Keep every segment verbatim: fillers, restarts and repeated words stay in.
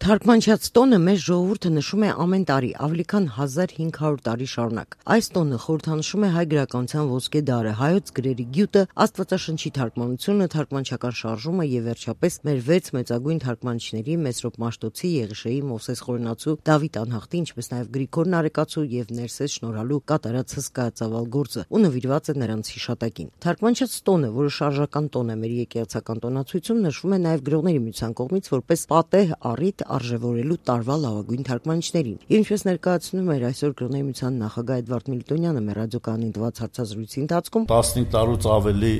Թարգմանչած տոնը մեր ժողովուրդը նշում է ամեն տարի ավելի քան հազար հինգ հարյուր տարի շարունակ։ Այս տոնը խորհրդանշում է հայ գրականության ոսկե դարը, հայոց գրերի գյուտը, աստվածաշնչի թարգմանությունը, թարգմանչական շարժումը եւ վերջապես մեր վեց մեծագույն թարգմանիչների Մեսրոպ Մաշտոցի, Եղիշեի, Մովսես Խորենացու, Դավիթ Անհախտի, ինչպես նաեւ Գրիգոր Նարեկացու եւ Ներսես Շնորհալու կատարած հսկայածավալ գործը ու նվիրված է նրանց հիշատակին։ Թարգմանչած տոնը, որը շարժական տոն է մեր եկեղեցական տոնացույցում, նշվում է նաեւ Գրողների միության կողմից որպես պատեհ առիթ արժևորելու տարվա լավագույն թարգմանիչներին։ Ինչպես ներկայացնում էր այսօր Գրողների միության նախագահ Էդվարդ Միլիտոնյանը մեր ռադիոկայանին տված հարցազրույցի ընթացքում, տասնհինգ տարուց ավելի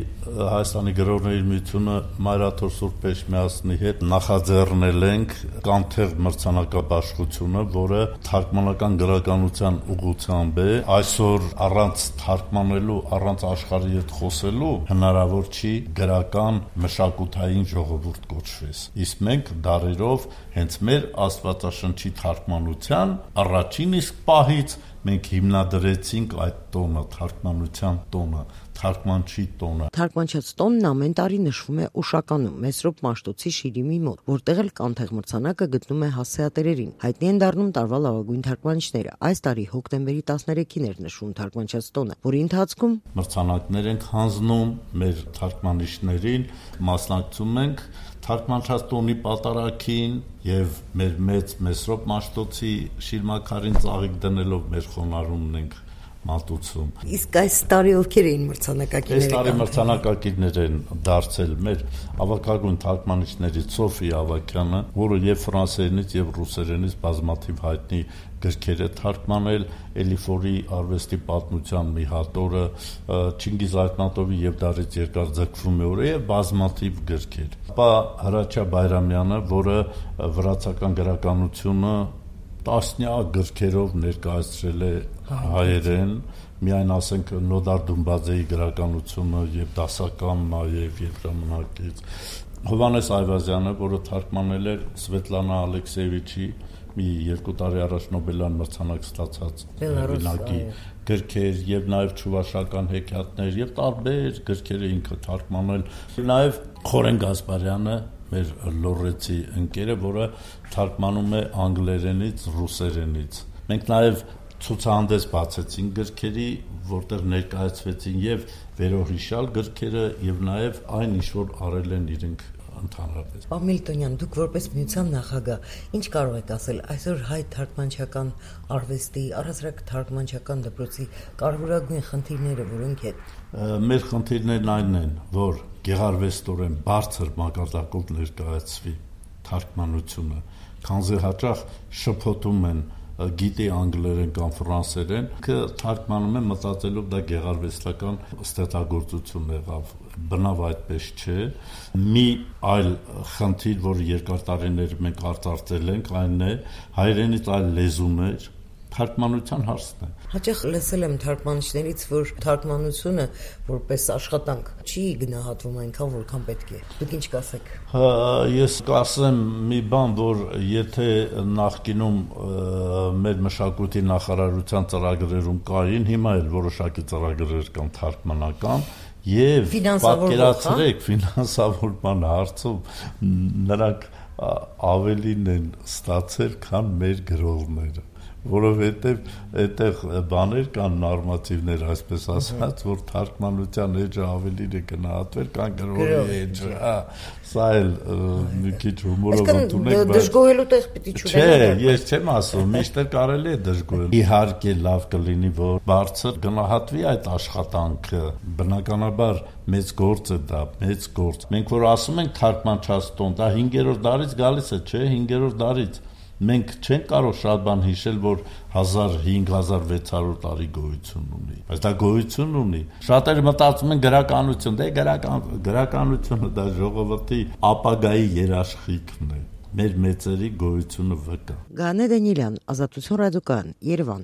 Հայաստանի Գրողների միությունը Մայրաթոր Սուրբ Էջմիածնի հետ նախաձեռնել ենք Կանթեղ մրցանակաբաշխությունը, որը թարգմանական գրականության ուղղությամբ է։ Այսօր առանց թարգմանելու, առանց աշխարհի հետ խոսելու հնարավոր չի գրական մշակութային ժողովուրդ կոչվես։ Իսկ մենք դարերով հենց մեր աստվածաշնչի թարգմանության առաջին իսկ պահից մենք հիմնադրեցինք այդ տոնը, թարգմանության տոնը, թարգմանչի տոնը։ Թարգմանչած տոնն ամեն տարի նշվում է Ուշականում, Մեսրոպ Մաշտոցի շիրիմի մոտ, որտեղ էլ Կանթեղ մրցանակը գտնում է հասցեատերերին։ Հայտնի են դառնում տարվա լավագույն թարգմանիչները։ Այս տարի հոկտեմբերի տասներեքին էր նշվում թարգմանչած տոնը, որի ընթացքում մրցանակներ ենք հանձնում մեր թարգմանիչներին, մասնակցում ենք թարգմանչած տոնի պատարագին եւ մեր մեծ Մեսրոպ Մաշտոցի շիրմաքարին ծաղիկ դնելով մեր խոնարհումն ենք մատուցում։ Իսկ այս տարի ովքեր էին մրցանակակիրները։ Այս տարի մրցանակակիրներ են դարձել մեր ավագագույն թարգմանիչներից Սոֆի Ավագյանը, որը եւ ֆրանսերենից եւ ռուսերենից բազմաթիվ հայտնի գրքեր է թարգմանել, Էլիֆորի արվեստի պատմության մի հատորը, Չինգիզ Այթնատովի եւ դարից երկար ձգվում է օրը եւ բազմաթիվ գրքեր։ Ապա Հրաչյա Բայրամյանը, որը վրացական գրականությունը տասնյակ գրքերով ներկայացրել է հայերեն, միայն ասենք Նոդար Դումբաձեի գրականությունը եւ դասական նաեւ եւ ժամանակից։ Հովհաննես Այվազյանը, որը թարգմանել էր Սվետլանա Ալեքսեևիչի մի երկու տարի առաջ Նոբելյան մրցանակ ստացած հեղինակի գրքեր եւ նաեւ Չուվաշական հեքիաթներ եւ տարբեր գրքեր ինքը թարգմանել։ Նաեւ Խորեն Գասպարյանը, մեր լոռեցի ընկերը, որը թարգմանում է անգլերենից, ռուսերենից։ Մենք նաեւ ցուցահանդես բացեցին գրքերի, որտեղ ներկայացվեցին եւ վերոհիշալ գրքերը եւ նաեւ այն ինչ որ արել են իրենք ընդհանրապես։ Պարոն Միլիտոնյան, դուք որպես միության նախագահ, ինչ կարող եք ասել այսօր հայ թարգմանչական արվեստի, առհասարակ թարգմանչական դպրոցի կարևորագույն խնդիրները որոնք են։ Մեր խնդիրներն այն են, որ գեղարվեստորեն բարձր մակարդակով ներկայացվի թարգմանությունը, քանզի հաճախ շփոթում են գիտի անգլերեն կամ ֆրանսերեն, că թարգմանում է մտածելով դա գեղարվեստական ստեղծագործություն եղավ, բնավ այդպես չէ։ Մի այլ խնդիր, որ երկար տարիներ մենք արծարծել ենք, այն է հայերենից այլ լեզուներ թարգմանության հարցն է։ Հաճախ լսել եմ թարգմանիչներից, որ թարգմանությունը որպես աշխատանք չի գնահատվում այնքան, որքան պետք է։ Դուք ինչ կասեք։ Ես կասեմ մի բան, որ եթե նախկինում մեր մշակույթի նախարարության ծրագրերում կային, հիմա էլ որոշակի ծրագրեր կան թարգմանական, եւ պատկերացրեք ֆինանսավորման հարցում նրանք ավելին են ստացել, քան մեր գրողները, որովհետեւ այդտեղ բաներ կան նորմատիվներ, այսպես ասած, որ թարգմանության էջը ավելին է գնահատվել, քան գրողի էջը, հա, սա էլ մի քիչ հումորով ընդունեք, բայց դժգոհելու տեղ պիտի չունենա։ Չէ, ես չեմ ասում, միշտ կարելի է դժգոհել։ Իհարկե լավ կլինի, որ բարձր գնահատվի այդ աշխատանքը, բնականաբար մեծ գործ է դա, մեծ գործ։ Մենք որ ասում ենք թարգմանչած տոն, դա հինգերորդ դարից գալիս է, չէ, հինգերորդ դարից։ Մենք չենք կարող շատ բան հիշել, որ հազար հինգ հազար վեց հարյուր տարի գոյություն ունի, բայց դա գոյություն ունի։ Շատերը մտածում են գրականություն, դե գրական գրականությունը դա ժողովրդի ապագայի երաշխիքն է, մեր մեծերի գոյությունը վկա։ Գանե Դանիելյան, Ազատություն ռադիոկայան, Երևան։